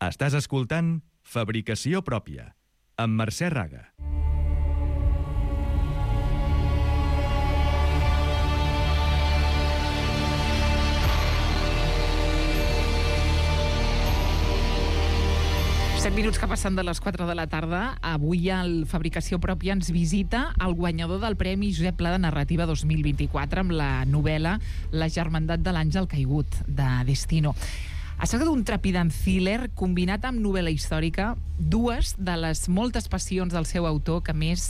Estàs escoltant Fabricació Pròpia, amb Mercè Raga. Minuts que passen de les 4 de la tarda. Avui al Fabricació Pròpia ens visita el guanyador del Premi Josep Pla de Narrativa 2024 amb la novel·la La germandat de l'àngel caigut, de Destino. Es tracta d'un trepidant thriller combinat amb novel·la històrica, dues de les moltes passions del seu autor, que a més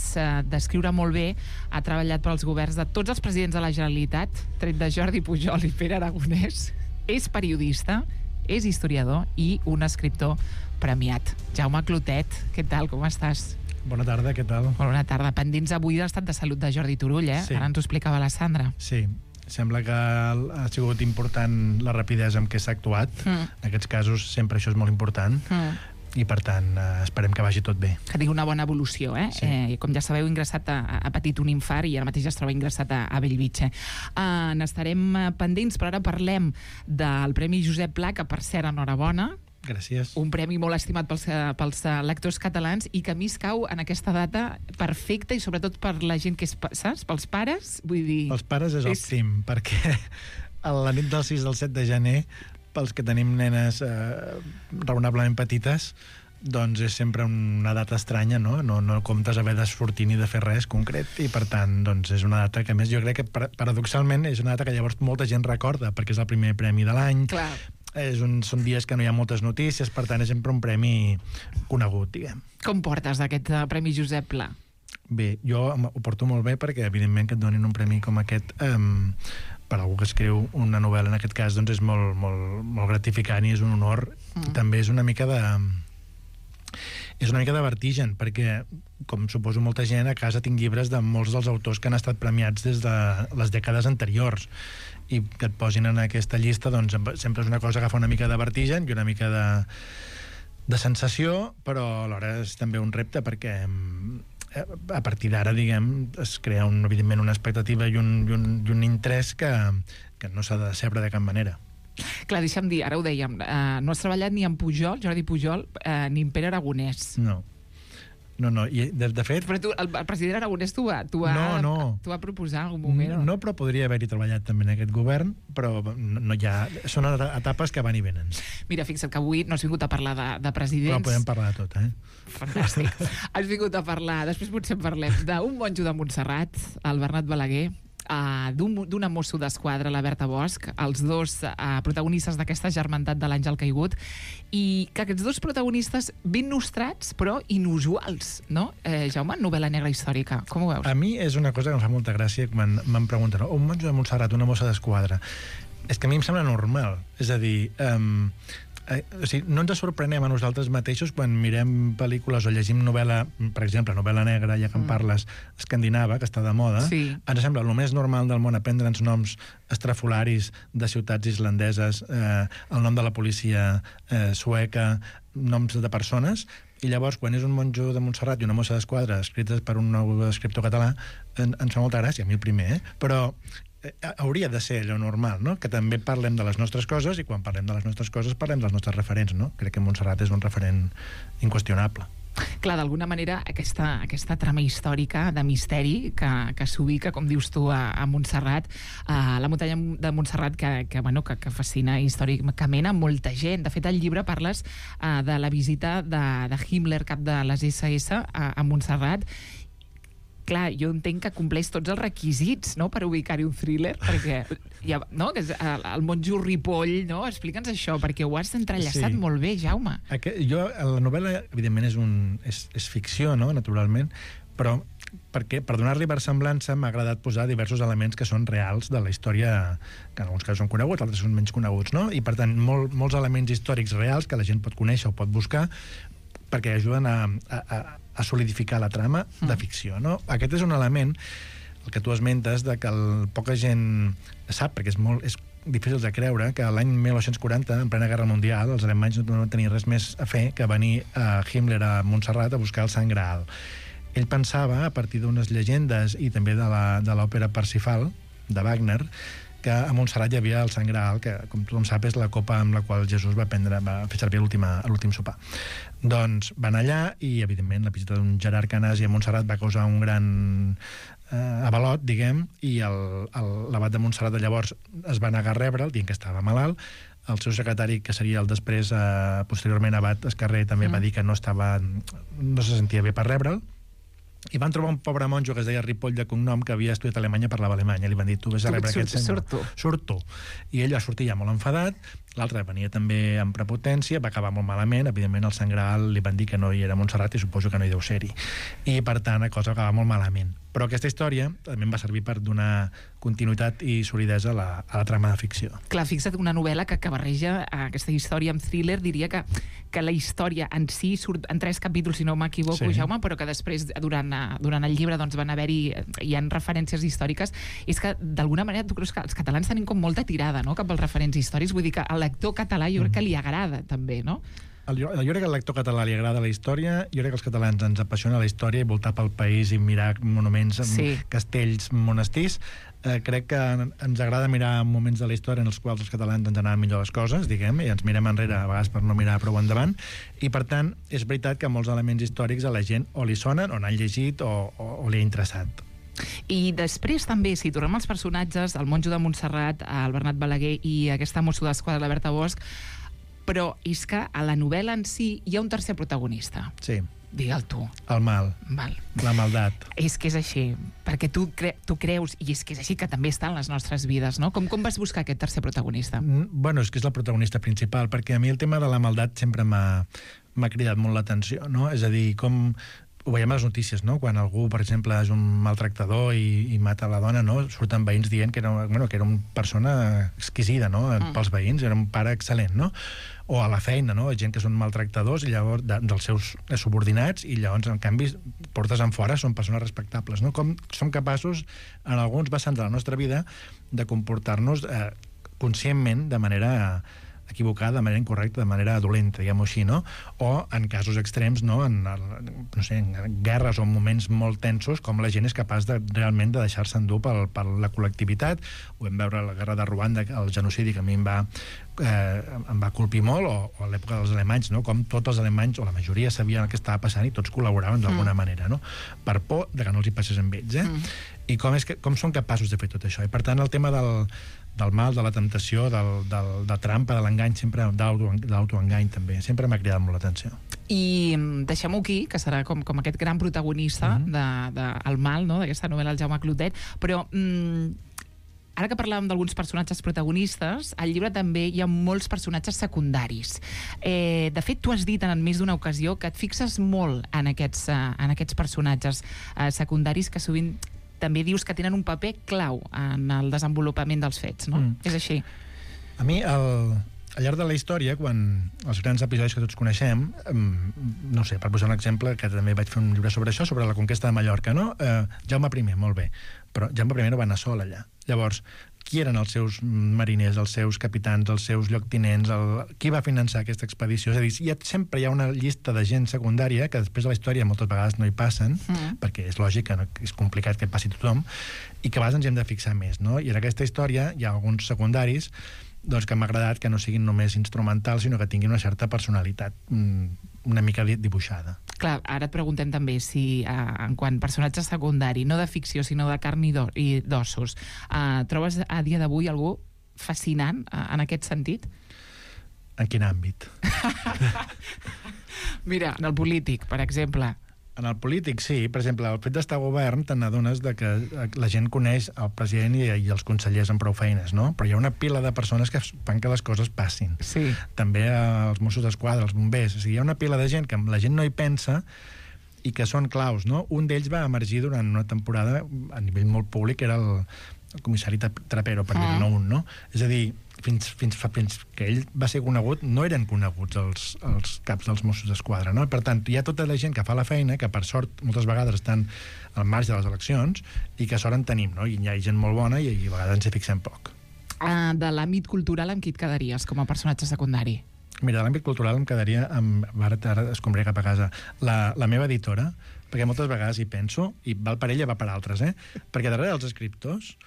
d'escriure molt bé ha treballat pels governs de tots els presidents de la Generalitat, tret de Jordi Pujol i Pere Aragonès. És periodista, és historiador i un escriptor premiat. Jaume Clotet, què tal, com estàs? Bona tarda, què tal? Bona tarda. Pendents avui de l'estat de salut de Jordi Turull, Sí. Ara ens ho explicava la Sandra. Sí, sembla que ha sigut important la rapidesa amb què s'ha actuat. En aquests casos sempre això és molt important. I per tant esperem que vagi tot bé. Que tingui una bona evolució, Sí. Com ja sabeu, ha patit un infart i ara mateix es troba ingressat a Bellvitge. N'estarem pendents, però ara parlem del Premi Josep Pla, que per cert, enhorabona. Gràcies. Un premi molt estimat pels lectors catalans i que a mi es cau en aquesta data perfecta i sobretot per la gent que és, saps? Pels pares, vull dir... Pels pares és òptim, perquè a la nit del 6 del 7 de gener, pels que tenim nenes raonablement petites, doncs és sempre una data estranya, no? No comptes haver de sortir ni de fer res concret, i per tant doncs és una data que, a més, jo crec que paradoxalment és una data que llavors molta gent recorda, perquè és el primer premi de l'any. Clar. Són dies que no hi ha moltes notícies, per tant és sempre un premi conegut, diguem. Com portes d'aquest Premi Josep Pla? Bé, jo ho porto molt bé perquè evidentment que et donin un premi com aquest per algú que escriu una novel·la, en aquest cas, doncs és molt, molt, molt gratificant i és un honor. També és una mica de vertigen, perquè, com suposo molta gent, a casa tinc llibres de molts dels autors que han estat premiats des de les dècades anteriors, i que et posin en aquesta llista, doncs sempre és una cosa que fa una mica de vertigen i una mica de sensació, però alhora és també un repte, perquè a partir d'ara, diguem, es crea evidentment una expectativa i un interès que no s'ha de decebre de cap manera. Clar, deixa'm dir, ara ho dèiem, no has treballat ni amb Pujol, Jordi Pujol, ni amb Pere Aragonès. No, i de fet... Però tu, el president Aragonès t'ho va proposar en algun moment, no, però podria haver-hi treballat també en aquest govern, però no hi ha... Són etapes que van i venen. Mira, fixa't que avui no has vingut a parlar de presidents... Però podem parlar de tot, Fantàstic. Has vingut a parlar, després potser en parlem, d'un monjo de Montserrat, el Bernat Balaguer, d'una mosso d'esquadra, la Berta Bosch, els dos protagonistes d'aquesta germandat de l'àngel caigut, i que aquests dos protagonistes ben nostrats, però inusuals, no? Jaume, novel·la negra històrica, com ho veus? A mi és una cosa que em fa molta gràcia quan m'han preguntat, un monjo de Montserrat, una mossa d'esquadra. És que a mi em sembla normal, és a dir... o sigui, no ens sorprenem a nosaltres mateixos quan mirem pel·lícules o llegim novel·la, per exemple, novel·la negra, ja que en parles, escandinava, que està de moda. Sí. Ens sembla el més normal del món aprendre'ns noms estrafolaris de ciutats islandeses, el nom de la policia sueca, noms de persones, i llavors quan és un monjo de Montserrat i una mossa d'esquadra escrites per un nou escriptor català, ens fa molta gràcia, a mi el primer, però hauria de ser allò normal, no? Que també parlem de les nostres coses, i quan parlem de les nostres coses parlem dels nostres referents, no? Crec que Montserrat és un referent inqüestionable. Clar, d'alguna manera aquesta trama històrica de misteri que s'ubica, com dius tu, a Montserrat, a la muntanya de Montserrat, que fascina històricament a molta gent. De fet, al llibre parles de la visita de Himmler, cap de les SS, a Montserrat. Clar, jo entenc que compleix tots els requisits, no?, per ubicar-hi un thriller, perquè no, que és el monjo Ripoll, no? Explica'ns això, perquè ho has entrellaçat molt bé, Jaume. La novel·la, evidentment, és ficció, no?, naturalment, però perquè per donar-li versemblança m'ha agradat posar diversos elements que són reals de la història, que en alguns casos són coneguts, altres són menys coneguts, no? I per tant, molts elements històrics reals que la gent pot conèixer o pot buscar, perquè ajuden a solidificar la trama de ficció, no? Aquest és un element, el que tu esmentes, de que poca gent sap, perquè és difícil de creure, que l'any 1940, en plena Guerra Mundial, els alemanys no van tenir res més a fer que venir a Himmler a Montserrat a buscar el Sant Graal. Ell pensava, a partir d'unes llegendes i també de l'òpera Parsifal, de Wagner, que a Montserrat hi havia el Sant Graal, que, com tothom sap, és la copa amb la qual Jesús va fer servir a l'últim sopar. Doncs van allà i, evidentment, la visita d'un Gerard Canàs a Montserrat va causar un gran avalot, diguem, i l'abat de Montserrat de llavors es va negar a rebre'l, dient que estava malalt. El seu secretari, que seria el després, posteriorment abat Escarrer, també va dir que no se sentia bé per rebre'l. I van trobar un pobre monjo que es deia Ripoll de cognom, que havia estudiat Alemanya, parlava alemany. Li van dir, tu vés a rebre aquest senyor. Surt tu. I ell va sortir ja molt enfadat. L'altre venia també amb prepotència, va acabar molt malament. Evidentment, al Sant Graal li van dir que no hi era Montserrat i suposo que no hi deu ser-hi. I, per tant, la cosa va acabar molt malament. Però aquesta història també em va servir per donar continuïtat i solidesa a la trama de ficció. Clar, fixa't, una novel·la que barreja aquesta història amb thriller. Diria que la història en si surt en 3 capítols, si no m'equivoco, sí. Jaume, però que després, durant el llibre, doncs, van hi ha referències històriques. És que, d'alguna manera, tu creus que els catalans tenim com molta tirada, no?, cap als referents històrics. Vull dir que al lector català jo crec que li agrada, també, no? Jo crec que al lector català li agrada la història, jo crec que als catalans ens apassiona la història i voltar pel país i mirar monuments, castells, monestirs. Crec que ens agrada mirar moments de la història en els quals els catalans ens anaven millor les coses, diguem, i ens mirem enrere a vegades per no mirar prou endavant, i per tant és veritat que molts elements històrics a la gent o li sonen, o n'han llegit, o li ha interessat. I després també, si tornem als personatges, el monjo de Montserrat, el Bernat Balaguer i aquesta mosso d'esquadra, la Berta Bosch, però és que a la novel·la en si hi ha un tercer protagonista. Sí. Digue'l tu. El mal. La maldat. És que és així, perquè tu creus, i és que és així que també està en les nostres vides, no? Com vas buscar aquest tercer protagonista? Bueno, és que és el protagonista principal, perquè a mi el tema de la maldat sempre m'ha cridat molt l'atenció, no? És a dir, com ho veiem a les notícies, no? Quan algú, per exemple, és un maltractador i mata la dona, no? Surten veïns dient que era una persona exquisida, no? Pels veïns, era un pare excel·lent, no? O a la feina, no? Gent que són maltractadors i llavors dels seus subordinats i llavors, en canvi, portes en fora són persones respectables, no? Com som capaços, en alguns vessants de la nostra vida, de comportar-nos conscientment, de manera equivocada, de manera incorrecta, de manera dolenta, diguem-ho així, no? O en casos extrems, no? En guerres o en moments molt tensos, com la gent és capaç realment de deixar-se endur per la col·lectivitat. Ho vam veure a la guerra de Ruanda, el genocidi, que a mi em va colpir molt, o a l'època dels alemanys, no? Com tots els alemanys, o la majoria, sabien el que estava passant i tots col·laboraven d'alguna manera, no? Per por de que no els hi passés amb ells, I com són capaços de fer tot això. I, per tant, el tema del mal, de la temptació, de trampa, de l'engany, sempre de l'autoengany també, sempre m'ha cridat molt l'atenció. I deixem-ho aquí, que serà com aquest gran protagonista del mal, no?, d'aquesta novel·la, el Jaume Clotet, però ara que parlàvem d'alguns personatges protagonistes, al llibre també hi ha molts personatges secundaris. De fet, tu has dit en més d'una ocasió que et fixes molt en aquests personatges secundaris, que sovint també dius que tenen un paper clau en el desenvolupament dels fets, no? És així. A mi, al llarg de la història, quan els grans episodis que tots coneixem, no sé, per posar un exemple, que també vaig fer un llibre sobre això, sobre la conquesta de Mallorca, no? Jaume I, molt bé, però Jaume I no va anar sol allà. Llavors, qui eren els seus mariners, els seus capitans, els seus lloctinents, qui va finançar aquesta expedició? És a dir, sempre hi ha una llista de gent secundària que després de la història moltes vegades no hi passen, perquè és lògic, és complicat que passi tothom, i que a vegades ens hem de fixar més, no? I en aquesta història hi ha alguns secundaris que m'ha agradat que no siguin només instrumentals, sinó que tinguin una certa personalitat una mica dibuixada. Clar, ara et preguntem també si, en quant a personatge secundari, no de ficció, sinó de carn i d'ossos, trobes a dia d'avui algú fascinant en aquest sentit? En quin àmbit? Mira, en el polític, per exemple. En el polític, sí. Per exemple, el fet d'estar a govern te n'adones que la gent coneix el president i els consellers amb prou feines, no? Però hi ha una pila de persones que fan que les coses passin. Sí. També els Mossos d'Esquadra, els bombers. O sigui, hi ha una pila de gent que la gent no hi pensa i que són claus, no? Un d'ells va emergir durant una temporada a nivell molt públic, era el comissari Trapero, per dir-ne un, no? És a dir, fins que ell va ser conegut, no eren coneguts els caps dels Mossos d'Esquadra, no? Per tant, hi ha tota la gent que fa la feina, que per sort moltes vegades estan al marge de les eleccions, i que sort en tenim, no? I hi ha gent molt bona i a vegades ens hi fixem poc. De l'àmbit cultural, amb qui et quedaries com a personatge secundari? Mira, de l'àmbit cultural em quedaria amb... Ara escombré cap a casa. La meva editora, perquè moltes vegades hi penso, i val per ella, va per altres, perquè darrere dels escriptors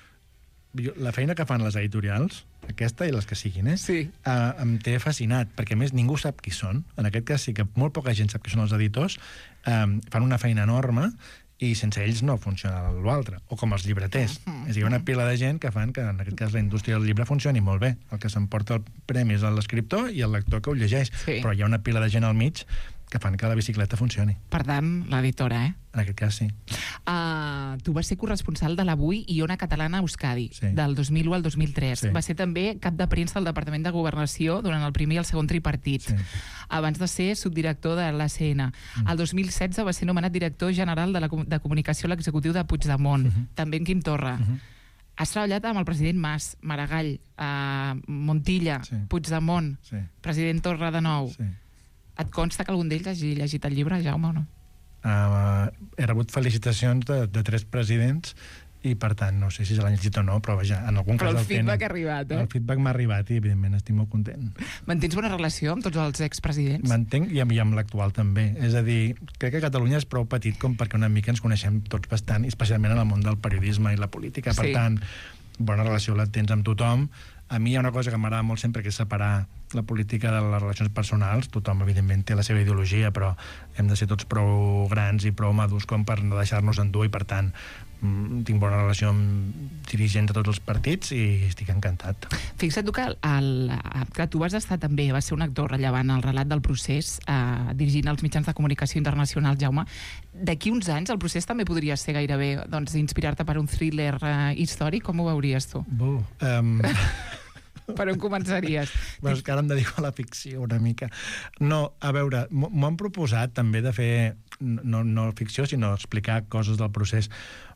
la feina que fan les editorials, aquesta i les que siguin, Sí. Em té fascinat, perquè a més ningú sap qui són. En aquest cas sí que molt poca gent sap qui són els editors. Fan una feina enorme i sense ells no funciona l'altre. O com els llibreters. És a dir, hi ha una pila de gent que fan que, en aquest cas, la indústria del llibre funcioni molt bé. El que s'emporta el premi és l'escriptor i el lector que ho llegeix. Sí. Però hi ha una pila de gent al mig que fan que la bicicleta funcioni. Per tant, l'editora, En aquest cas, sí. Tu vas ser corresponsal de l'Avui i Ona Catalana a Euskadi, Sí. del 2001 al 2003. Sí. Va ser també cap de premsa del Departament de Governació durant el primer i el segon tripartit, Sí. abans de ser subdirector de l'ACN. El 2016 va ser nomenat director general de comunicació a l'executiu de Puigdemont, també en Quim Torra. Has treballat amb el president Mas, Maragall, Montilla, Sí. Puigdemont, Sí. president Torra de nou. Sí. Et consta que algun d'ells hagi llegit el llibre, Jaume, o no? He rebut felicitacions de 3 presidents i, per tant, no sé si se l'han llegit o no, però vaja, en algun cas Però el feedback tenen. ha arribat, El feedback m'ha arribat i, evidentment, estic molt content. Mantens bona relació amb tots els expresidents? M'entenc i amb l'actual també. És a dir, crec que Catalunya és prou petit com perquè una mica ens coneixem tots bastant, especialment en el món del periodisme i la política. Per Sí. tant, bona relació la tens amb tothom. A mi hi ha una cosa que m'agrada molt sempre, que és separar la política de les relacions personals. Tothom, evidentment, té la seva ideologia, però hem de ser tots prou grans i prou madurs com per no deixar-nos endur, i, per tant, tinc bona relació amb dirigents de tots els partits i estic encantat. Fixa't tu que tu vas estar també, vas ser un actor rellevant al relat del procés, dirigint els mitjans de comunicació internacionals, Jaume. D'aquí uns anys el procés també podria ser gairebé inspirar-te per un thriller històric. Com ho veuries tu? Per on començaries? Bueno, és que ara em dedico a la ficció una mica. No, a veure, m'ho han proposat també de fer, no ficció, sinó explicar coses del procés,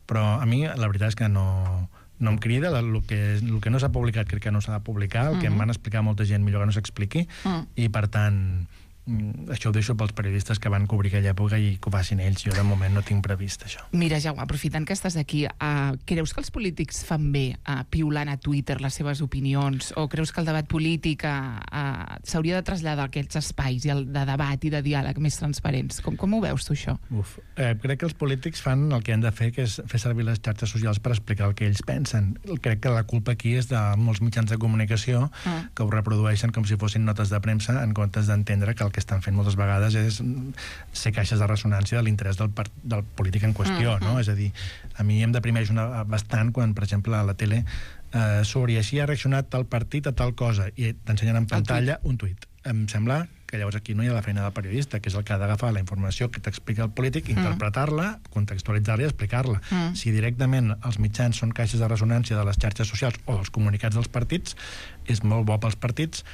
però a mi la veritat és que no em crida. El que no s'ha publicat crec que no s'ha de publicar, el que em van explicar molta gent millor que no s'expliqui, i per tant això ho deixo pels periodistes que van cobrir aquella època i que ho facin ells. Jo de moment no tinc previst això. Mira, Jaume, aprofitant que estàs aquí, creus que els polítics fan bé piulant a Twitter les seves opinions, o creus que el debat polític s'hauria de traslladar a aquests espais de debat i de diàleg més transparents? Com ho veus tu, això? Crec que els polítics fan el que han de fer, que és fer servir les xarxes socials per explicar el que ells pensen. Crec que la culpa aquí és de molts mitjans de comunicació que ho reprodueixen com si fossin notes de premsa, en comptes d'entendre que el que estan fent moltes vegades és ser caixes de ressonància de l'interès del polític en qüestió, no? És a dir, a mi em deprimeix bastant quan, per exemple, a la tele surt i així ha reaccionat tal partit a tal cosa i t'ensenyen en pantalla un tuit. Em sembla que llavors aquí no hi ha la feina del periodista, que és el que ha d'agafar la informació que t'explica el polític, interpretar-la, contextualitzar-la i explicar-la. Si directament els mitjans són caixes de ressonància de les xarxes socials o dels comunicats dels partits, és molt bo pels partits,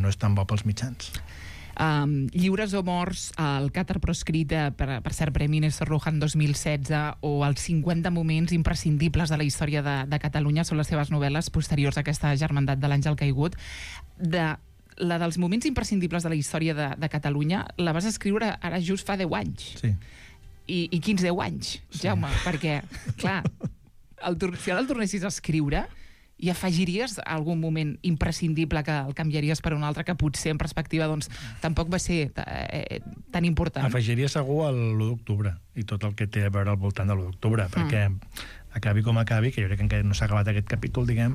no és tan bo pels mitjans. Lliures o morts, el Càtar proscrita per cert Premi Néstor Rojan 2016, o els 50 moments imprescindibles de la història de Catalunya són les seves novel·les posteriors a aquesta Germandat de l'Àngel Caigut. La dels moments imprescindibles de la història de Catalunya la vas escriure ara just fa 10 anys. Sí. I quins 10 anys, Jaume? Perquè, clar, si ara el tornessis a escriure, i afegiries algun moment imprescindible que el canviaries per un altre que potser en perspectiva tampoc va ser tan important? Afegiria segur l'1 d'octubre i tot el que té a veure al voltant de l'1 d'octubre, perquè acabi com acabi, que jo crec que encara no s'ha acabat aquest capítol, diguem,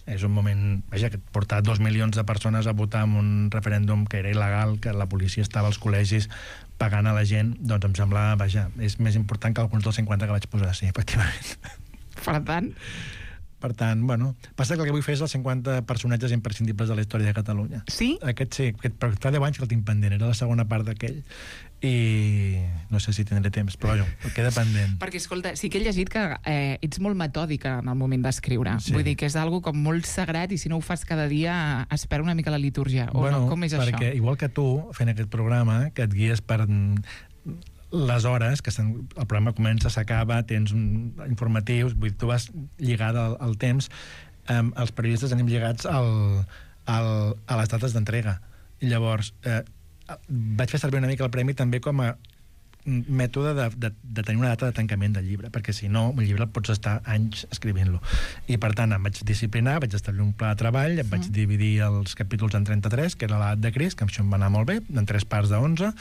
és un moment, vaja, que portar 2 milions de persones a votar en un referèndum que era il·legal, que la policia estava als col·legis pagant a la gent, doncs em sembla, vaja, és més important que alguns dels 50 que vaig posar, sí, efectivament. Per tant, bueno, passa que el que vull fer és els 50 personatges imprescindibles de la història de Catalunya. Sí? Aquest sí, però fa 10 anys que el tinc pendent, era la segona part d'aquell. I no sé si tindré temps, però jo, queda pendent. Perquè, escolta, sí que he llegit que ets molt metòdica en el moment d'escriure. Sí. Vull dir que és algo com molt sagrat i si no ho fas cada dia es perd una mica la litúrgia. O no? Com és això? Perquè igual que tu, fent aquest programa, que et guies per les hores, que el programa comença, s'acaba, tens informatius, vull dir, tu vas lligada al temps, els periodistes anem lligats a les dates d'entrega. I llavors, vaig fer servir una mica el premi també com a mètode de tenir una data de tancament del llibre, perquè si no, un llibre el pots estar anys escrivint-lo. I per tant, em vaig disciplinar, vaig establir un pla de treball, em vaig dividir els capítols en 33, que era l'edat de Crist, que això em va anar molt bé, en 3 parts de 11,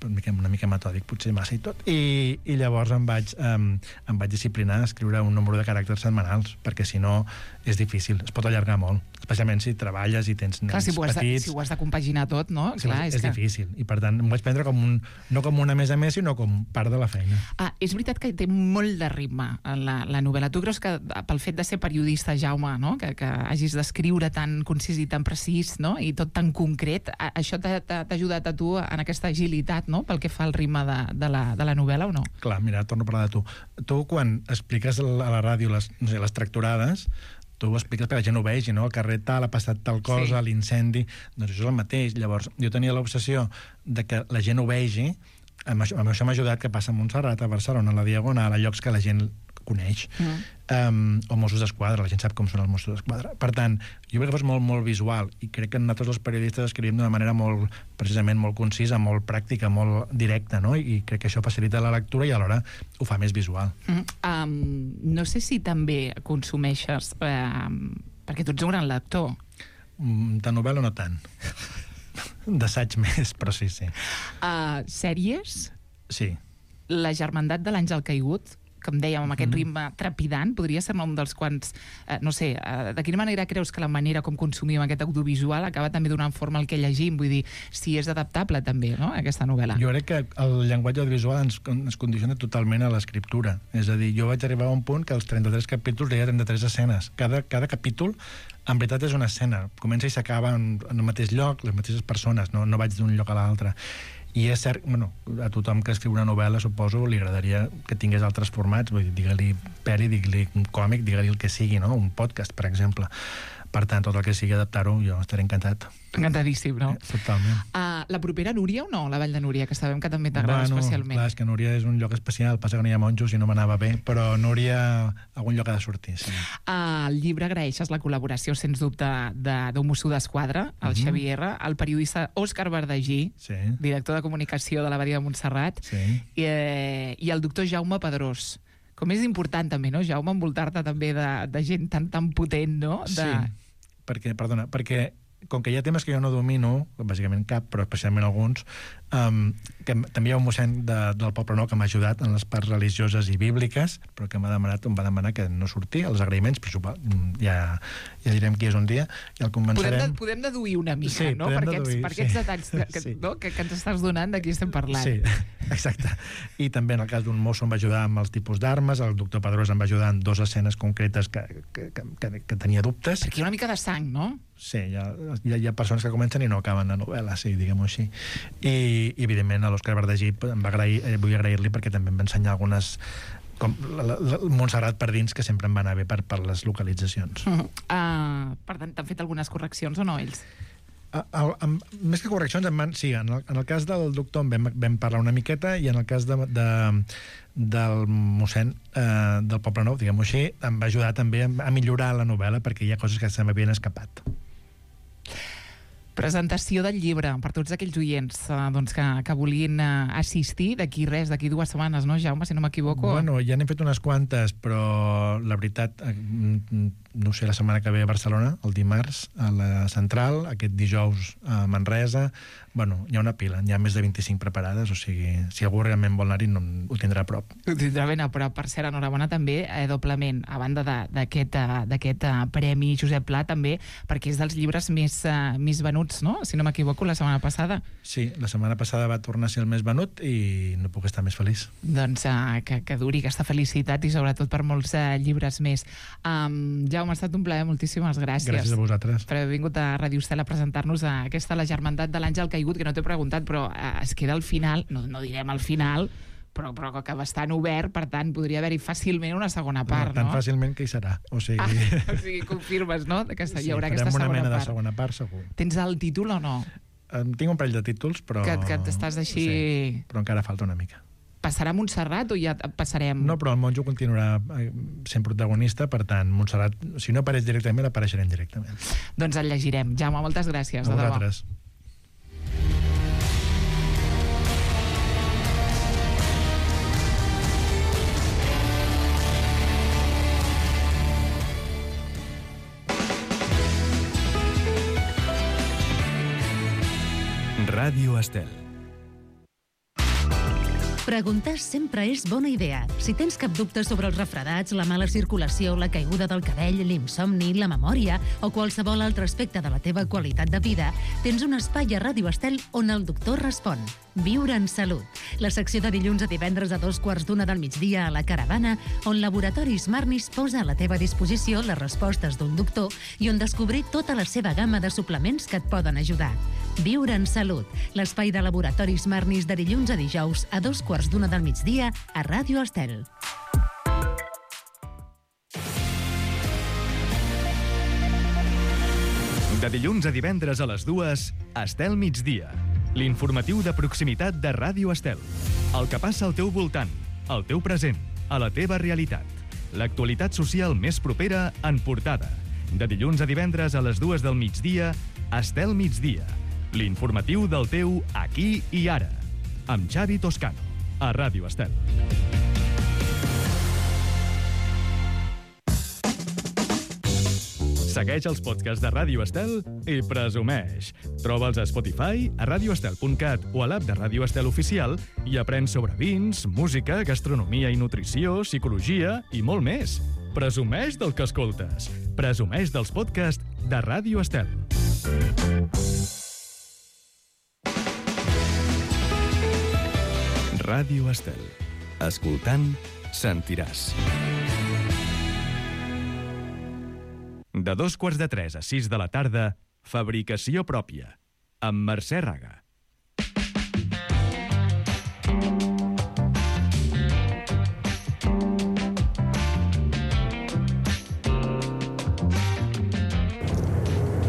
una mica metòdic, potser massa i tot. I llavors em vaig disciplinar a escriure un número de caràcters setmanals, perquè si no és difícil, es pot allargar molt, especialment si treballes i tens nens petits. Si ho has de compaginar tot, no? Clar, és difícil, i per tant em vaig prendre no com una més a més, sinó com part de la feina. És veritat que té molt de ritme la novel·la. Tu creus que pel fet de ser periodista, Jaume, no? que hagis d'escriure tan concís i tan precís, no? I tot tan concret, això t'ha ajudat a tu en aquesta agilitat, no? Pel que fa al ritme de la novel·la, o no? Clar, mira, torno a parlar de tu. Tu, quan expliques a la ràdio les tractorades, tu ho expliques perquè la gent ho vegi, no? Al carrer tal, ha passat tal cosa, l'incendi... Doncs això és el mateix. Llavors, jo tenia l'obsessió de que la gent ho vegi. Amb això m'ha ajudat, que passa a Montserrat, a Barcelona, a la Diagonal, a llocs que la gent coneix. O Mossos d'Esquadra, la gent sap com són els Mossos d'Esquadra. Per tant, jo crec que fos molt, molt visual, i crec que nosaltres els periodistes escrivim d'una manera molt, precisament molt concisa, molt pràctica, molt directa, no? I crec que això facilita la lectura i alhora ho fa més visual. No sé si també consumeixes, perquè tu ets un gran lector. De novel·la no tant. D'assaig més, però sí. Sèries? Sí. La Germandat de l'Àngel Caigut, com dèiem, amb aquest ritme trepidant, podria ser un dels quants... no sé, de quina manera creus que la manera com consumim aquest audiovisual acaba també donant forma al que llegim? Vull dir, si és adaptable també, no?, aquesta novel·la. Jo crec que el llenguatge audiovisual ens condiciona totalment a l'escriptura. És a dir, jo vaig arribar a un punt que als 33 capítols hi ha 33 escenes. Cada capítol, en veritat, és una escena. Comença i s'acaba en el mateix lloc, les mateixes persones, no vaig d'un lloc a l'altre. I és cert, a tothom que escriu una novel·la, suposo, li agradaria que tingués altres formats, vull dir, digue-li peli, digue-li un còmic, digue-li el que sigui, no? Un podcast, per exemple. Per tant, tot el que sigui adaptar-ho, jo estaré encantat. Encantadíssim, no? Totalment. La propera Núria o no? La Vall de Núria, que sabem que també t'agrada especialment. Clar, és que Núria és un lloc especial, passa que no hi ha monjos i no m'anava bé, però Núria, algun lloc ha de sortir, sí. Al llibre agraeixes la col·laboració, sens dubte, d'un Mosso d'Esquadra, el Xavier R, el periodista Òscar Verdagí, director de comunicació de l'Abadia de Montserrat, i el doctor Jaume Pedrós. Com és important també, no, Jaume, envoltar-te també de gent tan potent, no? Sí, perquè com que hi ha temes que jo no domino, bàsicament cap, però especialment alguns, que també hi ha un mossèn del Poble Nou que m'ha ajudat en les parts religioses i bíbliques, però que em va demanar que no surti, els agraïments, però ja direm qui és un dia, i el convencerem... Podem deduir una mica, no? Per aquests detalls que ens estàs donant, de qui estem parlant. Sí, exacte. I també en el cas d'un mosso em va ajudar amb els tipus d'armes, el doctor Pedrós em va ajudar en 2 escenes concretes que tenia dubtes. Perquè hi ha una mica de sang, no? Sí, hi ha persones que comencen i no acaben la novel·la, sí, diguem-ho així. I evidentment, a l'Òscar Verdagí vull agrair-li perquè també em va ensenyar algunes, com Montserrat per dins, que sempre em va anar bé per les localitzacions. Per tant, t'han fet algunes correccions o no, ells? Més que correccions, sí, en el cas del doctor vam parlar una miqueta, i en el cas del mossèn del Poble Nou, diguem-ho així, em va ajudar també a millorar la novel·la, perquè hi ha coses que se m'havien escapat. Presentació del llibre per tots aquells oients que volien assistir d'aquí 2 setmanes, no, Jaume, si no m'equivoco? Bueno, ja n'hem fet unes quantes, però la veritat, no sé, la setmana que ve a Barcelona, el dimarts, a la Central, aquest dijous a Manresa. Bueno, hi ha una pila, hi ha més de 25 preparades, o sigui, si algú realment vol anar-hi, ho tindrà a prop. Ho tindrà ben a prop. Per cert, enhorabona també, doblement, a banda d'aquest Premi Josep Pla, també, perquè és dels llibres més venuts, no? Si no m'equivoco, la setmana passada. Sí, la setmana passada va tornar a ser el més venut i no puc estar més feliç. Doncs que duri aquesta felicitat i sobretot per molts llibres més. Jaume, ha estat un plaer, moltíssimes gràcies. Gràcies a vosaltres. Per haver vingut a Ràdio Estel a presentar-nos aquesta La Germandat de l'Àngel Caigut, que no t'he preguntat, però es queda al final, no direm al final, però que bastant obert, per tant, podria haver-hi fàcilment una segona part, no? Tan fàcilment que hi serà, o sigui... confirmes, no?, que hi haurà aquesta segona part. Farem una mena de segona part, segur. Tens el títol o no? Tinc un parell de títols, però... Que t'estàs així... Sí, però encara falta una mica. Passarà a Montserrat o ja passarem... No, però el monjo continuarà sent protagonista, per tant, Montserrat, si no apareix directament, apareixerem directament. Doncs el llegirem. Jaume, moltes gràcies. A vosaltres. Ràdio Estel. Preguntar sempre és bona idea. Si tens cap dubte sobre els refredats, la mala circulació, la caiguda del cabell, l'insomni, la memòria o qualsevol altre aspecte de la teva qualitat de vida, tens un espai a Ràdio Estel on el doctor respon. Viure en salut. La secció de dilluns a divendres a 2:15 del migdia a La Caravana, on Laboratoris Marnis posa a la teva disposició les respostes d'un doctor i on descobrir tota la seva gamma de suplements que et poden ajudar. Viure en salut. L'espai de Laboratoris Marnis de dilluns a dijous a 2:15 del migdia a Ràdio Estel. De dilluns a divendres a les 2, Estel Migdia. L'informatiu de proximitat de Ràdio Estel. El que passa al teu voltant, al teu present, a la teva realitat. L'actualitat social més propera en portada. De dilluns a divendres a les 2 del migdia, Estel Migdia. L'informatiu del teu aquí i ara. Amb Xavi Toscano, a Ràdio Estel. Segueix els podcasts de Ràdio Estel i presumeix. Troba'ls a Spotify, a radioestel.cat o a l'app de Ràdio Estel Oficial i aprèn sobre vins, música, gastronomia i nutrició, psicologia i molt més. Presumeix del que escoltes. Presumeix dels podcasts de Ràdio Estel. Ràdio Estel. Escoltant, sentiràs. De 2:15 a 6 de la tarda, Fabricació pròpia, amb Mercè Raga.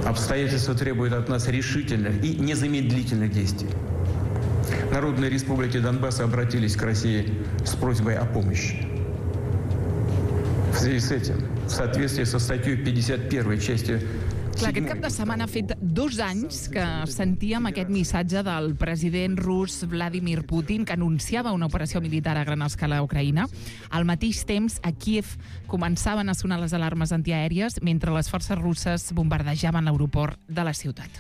Обстоятельства требуют от нас решительных и незамедлительных действий. Народные республики Донбасса обратились к России с просьбой о помощи. В связи с этим, в соответствии со статьей 51 части... Clar, aquest cap de setmana ha fet 2 anys que sentíem aquest missatge del president rus Vladimir Putin que anunciava una operació militar a gran escala a Ucraïna. Al mateix temps, a Kíev començaven a sonar les alarmes antiaèries mentre les forces russes bombardejaven l'aeroport de la ciutat.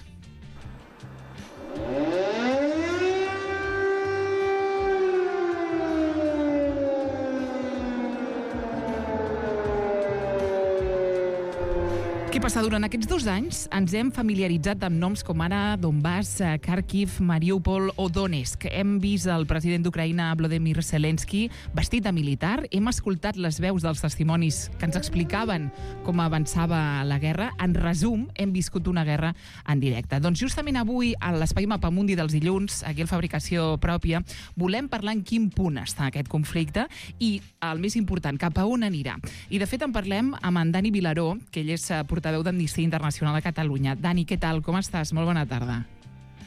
Què passa? Durant aquests 2 anys ens hem familiaritzat amb noms com ara Donbass, Kharkiv, Mariupol o Donetsk. Hem vist el president d'Ucraïna, Volodymyr Zelensky, vestit de militar. Hem escoltat les veus dels testimonis que ens explicaven com avançava la guerra. En resum, hem viscut una guerra en directe. Doncs justament avui, a l'Espai Mapamundi dels dilluns, aquí al Fabricació Pròpia, volem parlar en quin punt està aquest conflicte i, el més important, cap a on anirà. I, de fet, en parlem amb en Dani Vilaró, que ell és portaveu d'Amnistia Internacional a Catalunya. Dani, què tal? Com estàs? Molt bona tarda.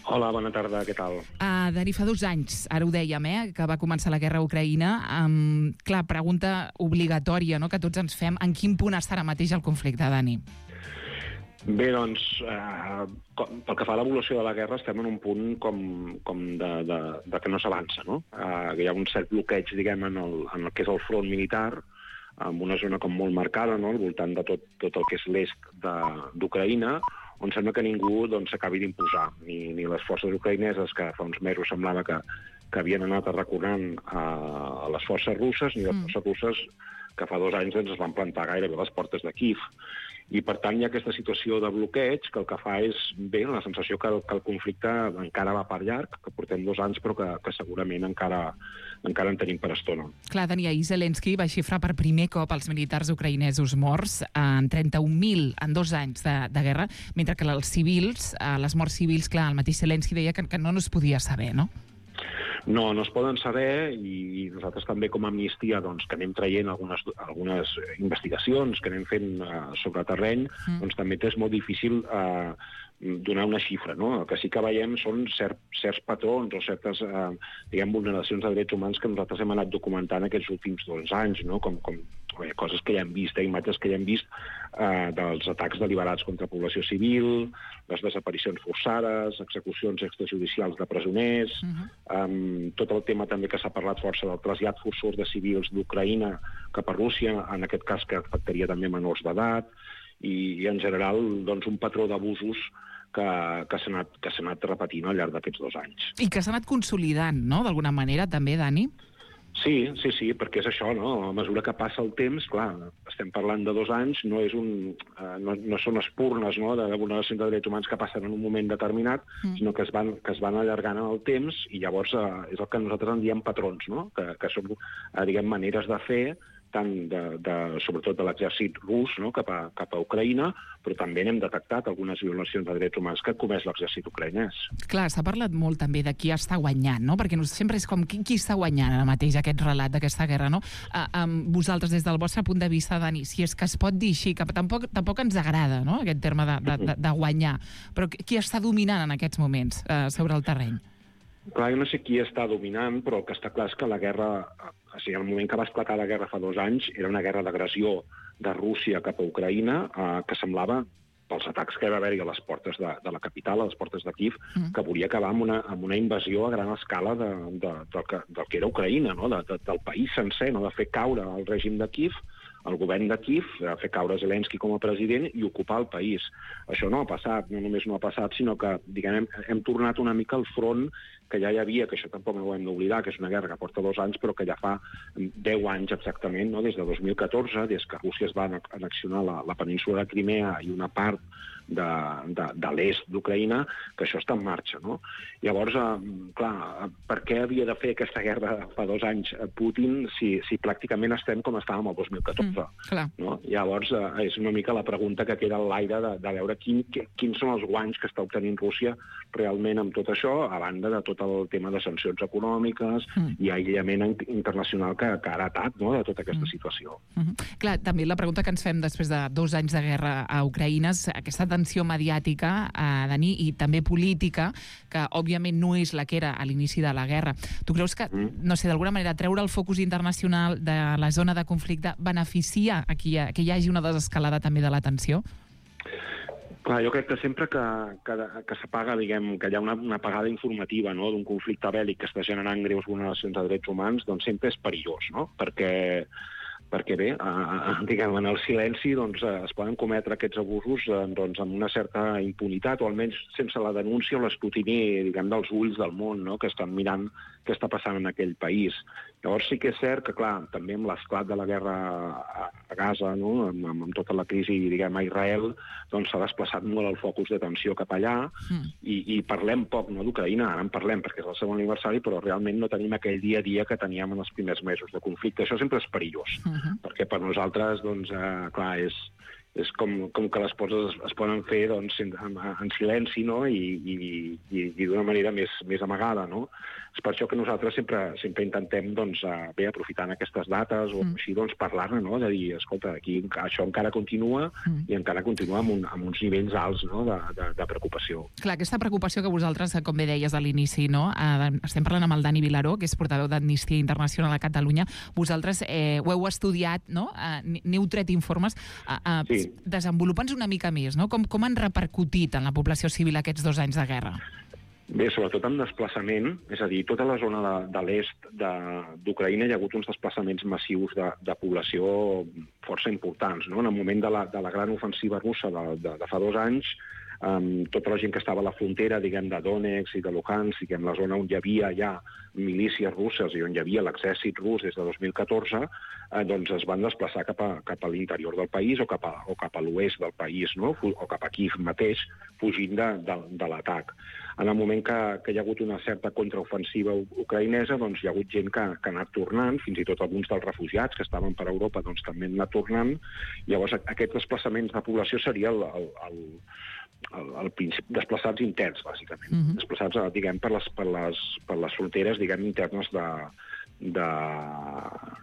Hola, bona tarda, què tal? Dani, fa 2 anys, ara ho dèiem, que va començar la guerra a Ucraïna. Clar, pregunta obligatòria, no?, que tots ens fem. En quin punt està ara mateix el conflicte, Dani? Bé, doncs, pel que fa a l'evolució de la guerra, estem en un punt com de que no s'avança, no? Hi ha un cert bloqueig, diguem, en el que és el front militar, amb una zona com molt marcada, no?, al voltant de tot el que és l'est d'Ucraïna, on sembla que ningú s'acabi d'imposar, ni les forces ucraïneses, que fa uns mesos semblava que havien anat arraconant a les forces russes, ni les forces russes que fa 2 anys es van plantar gairebé a les portes de Kíev. I, per tant, hi ha aquesta situació de bloqueig que el que fa és, bé, la sensació que el conflicte encara va per llarg, que portem 2 anys, però que segurament encara en tenim per estona. Clar, Dani, ahir Zelensky va xifrar per primer cop els militars ucraïnesos morts en 31.000 en 2 anys de guerra, mentre que els civils, les morts civils, clar, el mateix Zelensky deia que no es podia saber, no? No es poden saber, i nosaltres també com a Amnistia, que anem traient algunes investigacions que anem fent sobre terreny, també és molt difícil donar una xifra, no? El que sí que veiem són certs patrons o certes, vulneracions de drets humans que nosaltres hem anat documentant aquests últims 2 anys, no? Com coses que ja hem vist, imatges que ja hem vist dels atacs deliberats contra població civil, les desaparicions forçades, execucions extrajudicials de presoners, tot el tema també que s'ha parlat força del trasllat forçós de civils d'Ucraïna cap a Rússia, en aquest cas que afectaria també menors d'edat, i en general un patró d'abusos que s'ha anat repetint al llarg d'aquests 2 anys. I que s'ha anat consolidant, no?, d'alguna manera, també, Dani? Sí, perquè és això, no? A mesura que passa el temps, clar, estem parlant de 2 anys, no són espurnes, no?, de vulneració de drets humans que passen en un moment determinat, sinó que es van allargant en el temps, i llavors és el que nosaltres en diem patrons, no?, que són, diguem, maneres de fer, tant sobretot de l'exèrcit rus, no?, cap a Ucraïna, però també n'hem detectat algunes violacions de drets humans que ha comès l'exèrcit ucraïnès. Clar, s'ha parlat molt també de qui està guanyant, no?, perquè sempre és com qui està guanyant ara mateix aquest relat d'aquesta guerra, no? Vosaltres, des del vostre punt de vista, Dani, si és que es pot dir així, que tampoc ens agrada, no?, aquest terme de guanyar, però qui està dominant en aquests moments sobre el terreny? Clar, jo no sé qui està dominant, però el que està clar és que la guerra, o sigui, en el moment que va esclatar la guerra fa 2 anys, era una guerra d'agressió de Rússia cap a Ucraïna, que semblava, pels atacs que va haver-hi a les portes de la capital, a les portes de Kíev, que volia acabar amb una invasió a gran escala del que era Ucraïna, no?, del país sencer, no?, de fer caure el règim de Kíev, el govern de Kíev, fer caure Zelensky com a president i ocupar el país. Això no ha passat, no només no ha passat, sinó que, diguem, hem tornat una mica al front que ja hi havia, que això tampoc no ho hem d'oblidar, que és una guerra que porta 2 anys, però que ja fa 10 anys exactament, no?, des de 2014, des que Rússia es va annexionar la península de Crimea i una part de l'est d'Ucraïna, que això està en marxa, no? Llavors, clar, per què havia de fer aquesta guerra fa 2 anys Putin si pràcticament estem com estàvem el 2014? No? Llavors, és una mica la pregunta que queda a l'aire de veure quins són els guanys que està obtenint Rússia realment amb tot això, a banda de tot el tema de sancions econòmiques i aïllament internacional que ha heretat, no?, de tota aquesta situació. Clar, també la pregunta que ens fem després de 2 anys de guerra a Ucraïna és aquesta tensió mediàtica, Dani, i també política, que òbviament no és la que era a l'inici de la guerra. Tu creus que, no sé, d'alguna manera treure el focus internacional de la zona de conflicte beneficia a que hi hagi una desescalada també de la tensió? Clar, jo crec que sempre que s'apaga, diguem, que hi ha una apagada informativa, no?, d'un conflicte bèl·lic que està generant greus vulneracions de drets humans, doncs sempre és perillós, no?, perquè bé, diguem, en el silenci doncs, es poden cometre aquests abusos doncs, amb una certa impunitat, o almenys sense la denúncia o l'escrutini, diguem, dels ulls del món, no?, que estan mirant què està passant en aquell país. Llavors sí que és cert que, clar, també amb l'esclat de la guerra a Gaza, no?, amb tota la crisi, diguem, a Israel, doncs s'ha desplaçat molt el focus d'atenció cap allà i parlem poc, no?, d'Ucraïna, ara en parlem perquè és el segon aniversari, però realment no tenim aquell dia a dia que teníem en els primers mesos de conflicte. Això sempre és perillós, perquè per nosaltres, doncs, clar, és com que les coses es poden fer doncs, en silenci, no?, i d'una manera més amagada, no? És per això que nosaltres sempre intentem, doncs, bé, aprofitant aquestes dates o així, doncs, parlar-ne, no?, de dir, escolta, aquí això encara continua i encara continua amb uns nivells alts, no?, de preocupació. Clar, aquesta preocupació que vosaltres, com bé deies a l'inici, no?, estem parlant amb el Dani Vilaró, que és portaveu d'Amnistia Internacional a Catalunya. Vosaltres ho heu estudiat, no?, n'heu tret informes. Sí. Desenvolupa'ns una mica més, no?, com han repercutit en la població civil aquests 2 anys de guerra? Bé, sobretot en desplaçament, és a dir, tota la zona de l'est d'Ucraïna hi ha hagut uns desplaçaments massius de població força importants, no? En el moment de la gran ofensiva russa de fa 2 anys, tota la gent que estava a la frontera, diguem, de Donetsk i de Luhansk, diguem, la zona on hi havia ja milícies russes i on hi havia l'exèrcit rus des de 2014, doncs es van desplaçar cap a l'interior del país o cap a l'oest del país, no?, o cap a Kíev mateix, fugint de l'atac. En el moment que hi ha hagut una certa contraofensiva ucraïnesa, doncs hi ha hagut gent que ha anat tornant, fins i tot alguns dels refugiats que estaven per Europa doncs també han anat tornant. Llavors aquests desplaçaments de població seria el principi, desplaçats interns, bàsicament. Desplaçats, diguem, per les fronteres, diguem, internes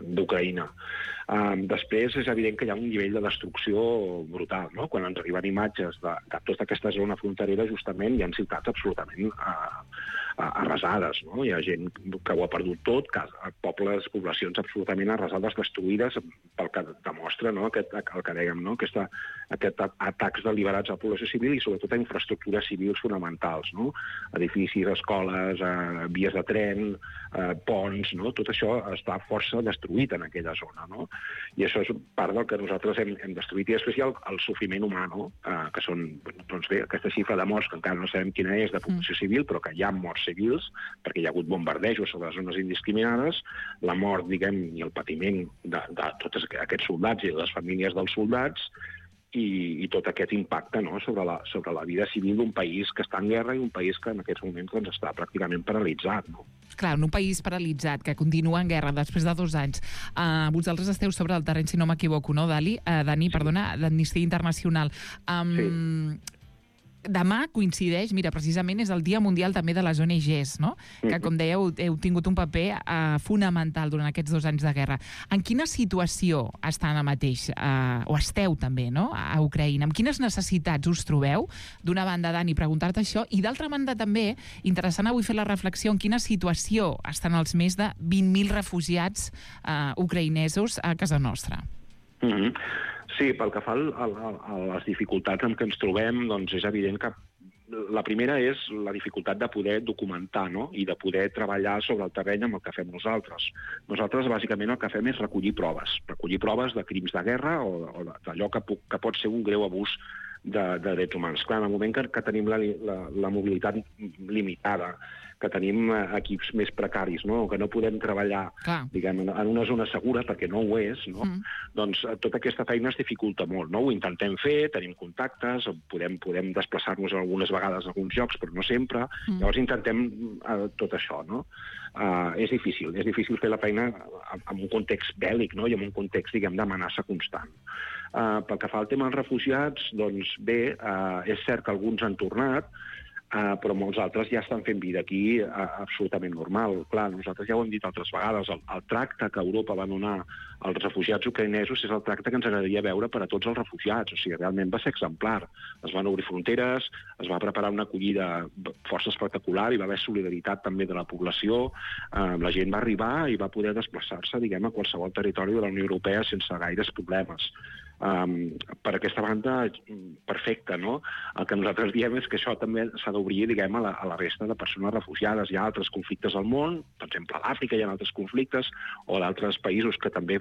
d'Ucraïna. Després és evident que hi ha un nivell de destrucció brutal, no? Quan ens arriben imatges de tota aquesta zona fronterera, justament hi ha ciutats absolutament arrasades, no? Hi ha gent que ho ha perdut tot, pobles, poblacions absolutament arrasades, destruïdes, pel que demostra, no? El que dèiem, no? Aquests atacs deliberats a la població civil i sobretot a infraestructures civils fonamentals, no? Edificis, escoles, vies de tren, ponts, no? Tot això està força destruït en aquella zona, no? I això és part del que nosaltres hem destruït. I després hi ha el sofriment humà, no? Que són, doncs bé, aquesta xifra de morts, que encara no sabem quina és, de població civil, però que hi ha morts civils, perquè hi ha hagut bombardejos sobre les zones indiscriminades, la mort, diguem, i el patiment de tots aquests soldats i les famílies dels soldats, i tot aquest impacte, no? sobre la vida civil d'un país que està en guerra i un país que en aquests moments doncs, està pràcticament paralitzat, no? Clar, en un país paralitzat, que continua en guerra després de 2 anys. Vosaltres esteu sobre el terreny, si no m'equivoco, no, Dani, d'Amnistia Internacional. Sí. Demà coincideix, mira, precisament és el Dia Mundial també de les ONGs, no? Que, com dèieu, heu tingut un paper fonamental durant aquests 2 anys de guerra. En quina situació estan ara mateix, o esteu també, no?, a Ucraïna? Amb quines necessitats us trobeu? D'una banda, Dani, preguntar-te això, i d'altra banda també, interessant avui fer la reflexió en quina situació estan els més de 20.000 refugiats ucraïnesos a casa nostra. Sí, pel que fa a les dificultats amb què ens trobem, doncs és evident que la primera és la dificultat de poder documentar, no? I de poder treballar sobre el terreny amb el que fem nosaltres. Nosaltres, bàsicament, el que fem és recollir proves de crims de guerra o d'allò que pot ser un greu abús de drets humans. Clar, en el moment que tenim la mobilitat limitada, que tenim equips més precaris, no? Que no podem treballar, diguem, en una zona segura, perquè no ho és, no? Doncs tota aquesta feina es dificulta molt, no? Ho intentem fer, tenim contactes, podem desplaçar-nos algunes vegades a alguns llocs, però no sempre. Llavors intentem tot això, no? És difícil fer la feina en un context bèl·lic, no? I en un context, diguem, d'amenaça constant. Pel que fa al tema dels refugiats, doncs bé, és cert que alguns han tornat, però molts altres ja estan fent vida aquí absolutament normal. Clar, nosaltres ja ho hem dit altres vegades, el tracte que Europa va donar als refugiats ucraïnesos és el tracte que ens agradaria veure per a tots els refugiats. O sigui, realment va ser exemplar. Es van obrir fronteres, es va preparar una acollida força espectacular, hi va haver solidaritat també de la població, la gent va arribar i va poder desplaçar-se, diguem, a qualsevol territori de la Unió Europea sense gaires problemes. Per aquesta banda, perfecte, no? El que nosaltres diem és que això també s'ha d'obrir, diguem, a la resta de persones refugiades. Hi ha altres conflictes al món, per exemple, a l'Àfrica hi ha altres conflictes, o d'altres països que també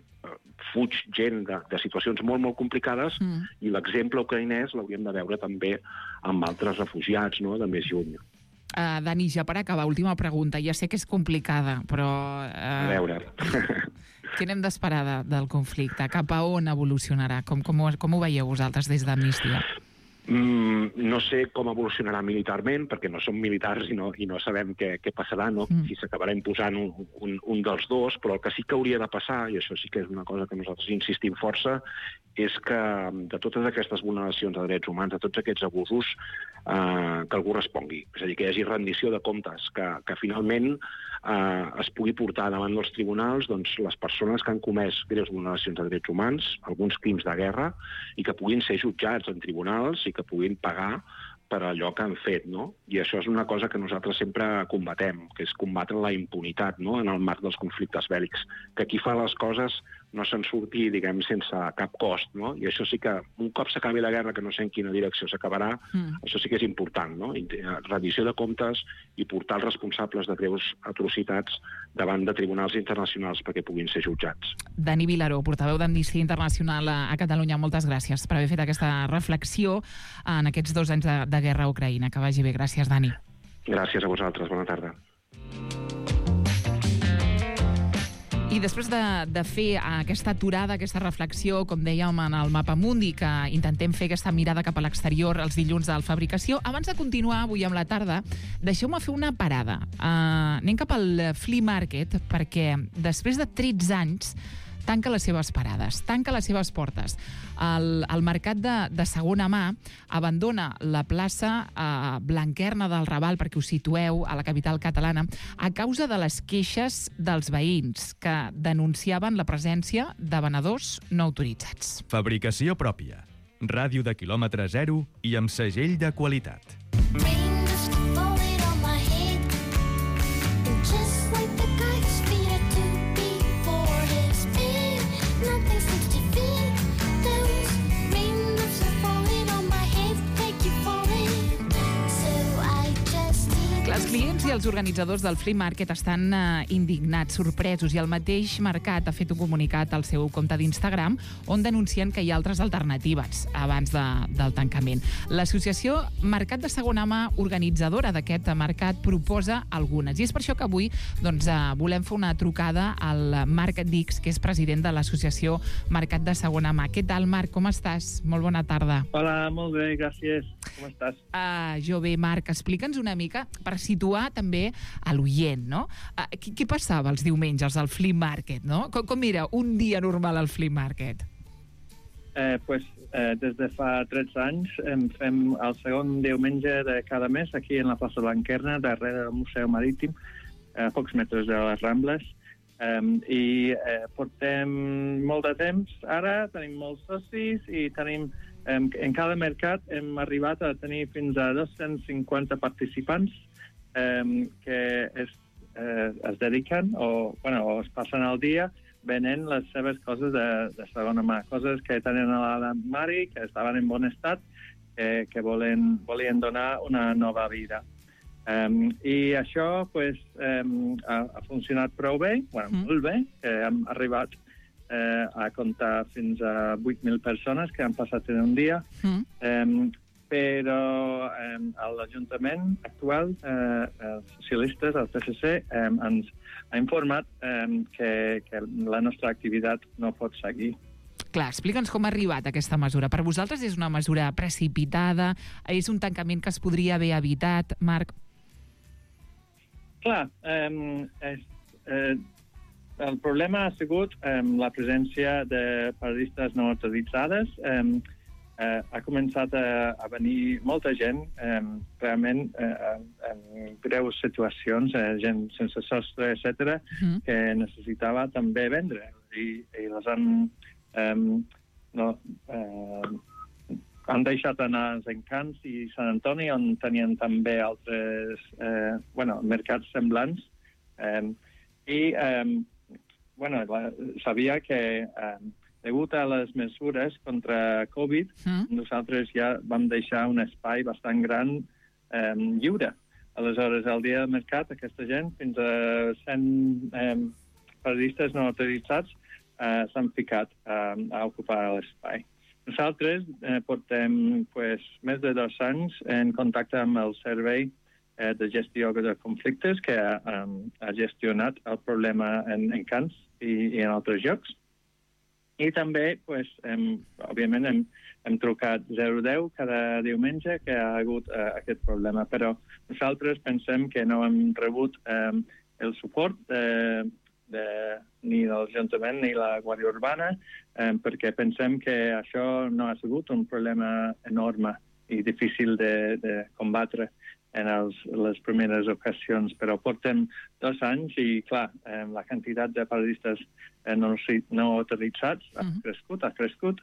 fuig gent de situacions molt, molt complicades, i l'exemple ucraïnès l'hauríem de veure també amb altres refugiats, no?, de més lluny. Dani, ja per acabar, última pregunta. Ja sé que és complicada, però... A veure... Què n'hem d'esperar del conflicte? Cap a on evolucionarà? Com ho veieu vosaltres des d'Amnistia? No sé com evolucionarà militarment, perquè no som militars i no sabem què passarà, no? Si s'acabarà imposant un dels dos, però el que sí que hauria de passar, i això sí que és una cosa que nosaltres insistim força, és que de totes aquestes vulneracions de drets humans, de tots aquests abusos, que algú respongui. És a dir, que hi hagi rendició de comptes, que finalment es pugui portar davant dels tribunals doncs, les persones que han comès greus vulneracions de drets humans, alguns crims de guerra, i que puguin ser jutjats en tribunals i que puguin pagar per allò que han fet, no? I això és una cosa que nosaltres sempre combatem, que és combatre la impunitat, no?, en el marc dels conflictes bèl·lics. Que qui fa les coses no se'n surti, diguem, sense cap cost, no? I això sí que, un cop s'acabi la guerra, que no sé en quina direcció s'acabarà, això sí que és important, no? Rendició de comptes i portar els responsables de greus atrocitats davant de tribunals internacionals perquè puguin ser jutjats. Dani Vilaró, portaveu d'Amnistia Internacional a Catalunya, moltes gràcies per haver fet aquesta reflexió en aquests 2 anys de guerra a Ucraïna. Que vagi bé. Gràcies, Dani. Gràcies a vosaltres. Bona tarda. I després de fer aquesta aturada, aquesta reflexió, com dèiem en el Mapamundi, que intentem fer aquesta mirada cap a l'exterior els dilluns de Fabricació, abans de continuar avui amb la tarda, deixeu-me fer una parada. Anem cap al Flea Market, perquè després de 13 anys tanca les seves parades, tanca les seves portes. El mercat de segona mà abandona la plaça Blanquerna del Raval, perquè us situeu a la capital catalana, a causa de les queixes dels veïns que denunciaven la presència de venedors no autoritzats. Fabricació pròpia. Ràdio de quilòmetre zero i amb segell de qualitat. i els organitzadors del Flea Market estan indignats, sorpresos, i el mateix mercat ha fet un comunicat al seu compte d'Instagram on denuncien que hi ha altres alternatives abans del tancament. L'associació Mercat de Segona Mà, organitzadora d'aquest mercat, proposa algunes. I és per això que avui volem fer una trucada al Marc Dix, que és president de l'associació Mercat de Segona Mà. Què tal, Marc? Com estàs? Molt bona tarda. Hola, molt bé, gràcies. Com estàs? Jo bé, Marc, explica'ns una mica per situar també a l'oient, no? Què passava els diumenges al Flea Market, no? Com era un dia normal al Flea Market? Des de fa 13 anys fem el segon diumenge de cada mes aquí en la plaça Blanquerna, darrere del Museu Marítim, a pocs metres de les Rambles. Portem molt de temps ara, tenim molts socis i tenim en cada mercat hem arribat a tenir fins a 250 participants que es dediquen o es passen el dia venent les seves coses de segona mà, coses que tenen a l'armari, que estaven en bon estat, que volien donar una nova vida. I això ha funcionat prou bé, molt bé, que hem arribat a comptar fins a 8.000 persones que han passat en un dia, però l'Ajuntament actual, els socialistes, el PSC, ens ha informat que la nostra activitat no pot seguir. Clar, explica'ns com ha arribat aquesta mesura. Per vosaltres és una mesura precipitada? És un tancament que es podria haver evitat, Marc? Clar, el problema ha sigut la presència de periodistes no autoritzades. Ha començat a venir molta gent, realment en greus situacions, gent sense sostre, etc., que necessitava també vendre. I les han deixat anar als Encants i Sant Antoni, on tenien també altres mercats semblants. Sabia que degut a les mesures contra Covid, nosaltres ja vam deixar un espai bastant gran lliure. Aleshores, al dia del mercat, aquesta gent, fins a 100 periodistes no autoritzats, s'han ficat a ocupar l'espai. Nosaltres portem més de 2 anys en contacte amb el Servei de Gestió de Conflictes, que ha gestionat el problema en Encants i en altres llocs. I també, òbviament, hem trucat 010 cada diumenge que ha hagut aquest problema, però nosaltres pensem que no hem rebut el suport ni de l'Ajuntament ni la Guàrdia Urbana, perquè pensem que això no ha sigut un problema enorme i difícil de combatre en les primeres ocasions, però portem 2 anys i, clar, la quantitat de periodistes no autoritzats ha crescut,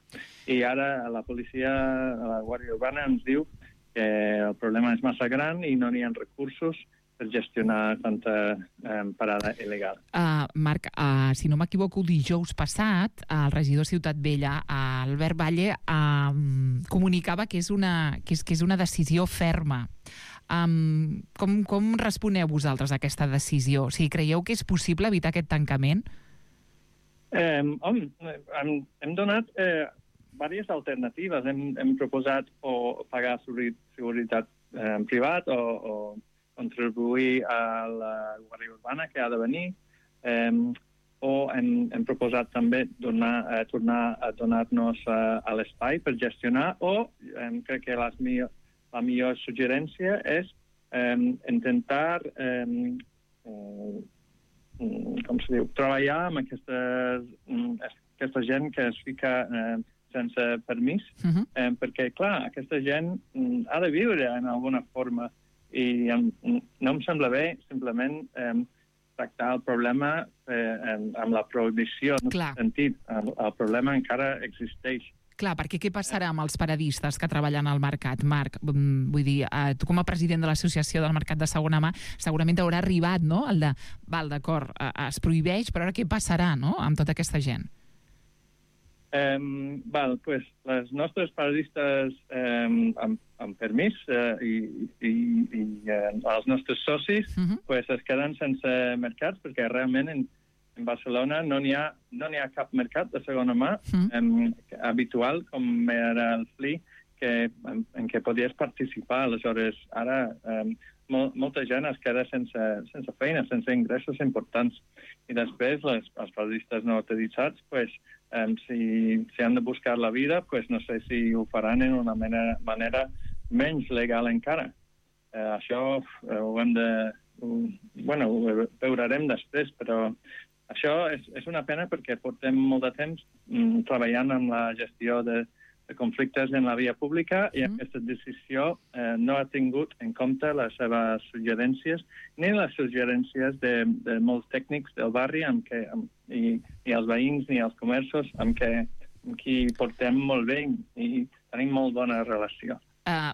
i ara la policia, la Guàrdia Urbana, ens diu que el problema és massa gran i no n'hi ha recursos per gestionar tanta parada il·legal. Marc, si no m'equivoco, dijous passat, el regidor Ciutat Vella, Albert Valle, comunicava que és una decisió ferma. Com responeu vosaltres a aquesta decisió? O sigui, creieu que és possible evitar aquest tancament? Hem donat diverses alternatives. Hem proposat o pagar seguretat privat o contribuir a la Guàrdia Urbana, que ha de venir, o hem proposat també tornar a donar-nos a l'espai per gestionar, o crec que la millor suggerència és intentar treballar amb aquesta gent que es fica sense permís, perquè, clar, aquesta gent ha de viure en alguna forma i no em sembla bé simplement tractar el problema amb la prohibició. En aquest sentit, el problema encara existeix. Clar, perquè què passarà amb els paradistes que treballen al mercat, Marc? Vull dir, tu com a president de l'Associació del Mercat de Segona Mà segurament t'haurà arribat, no?, el de, val, d'acord, es prohibeix, però ara què passarà, no?, amb tota aquesta gent? Les nostres paradistes, amb permís, i els nostres socis, es queden sense mercats, perquè realment en Barcelona no n'hi ha cap mercat de segona mà habitual, com era el Flea, en què podies participar. Aleshores, ara molta gent es queda sense feina, sense ingressos importants. I després, els periodistes no autoritzats, si han de buscar la vida, no sé si ho faran en una manera menys legal encara. Això ho hem de... ho veurem després, però això és una pena perquè portem molt de temps treballant amb la gestió de conflictes en la via pública i aquesta decisió no ha tingut en compte les seves suggerències ni les suggerències de molts tècnics del barri ni els veïns ni els comerços amb qui portem molt bé i tenim molt bona relació.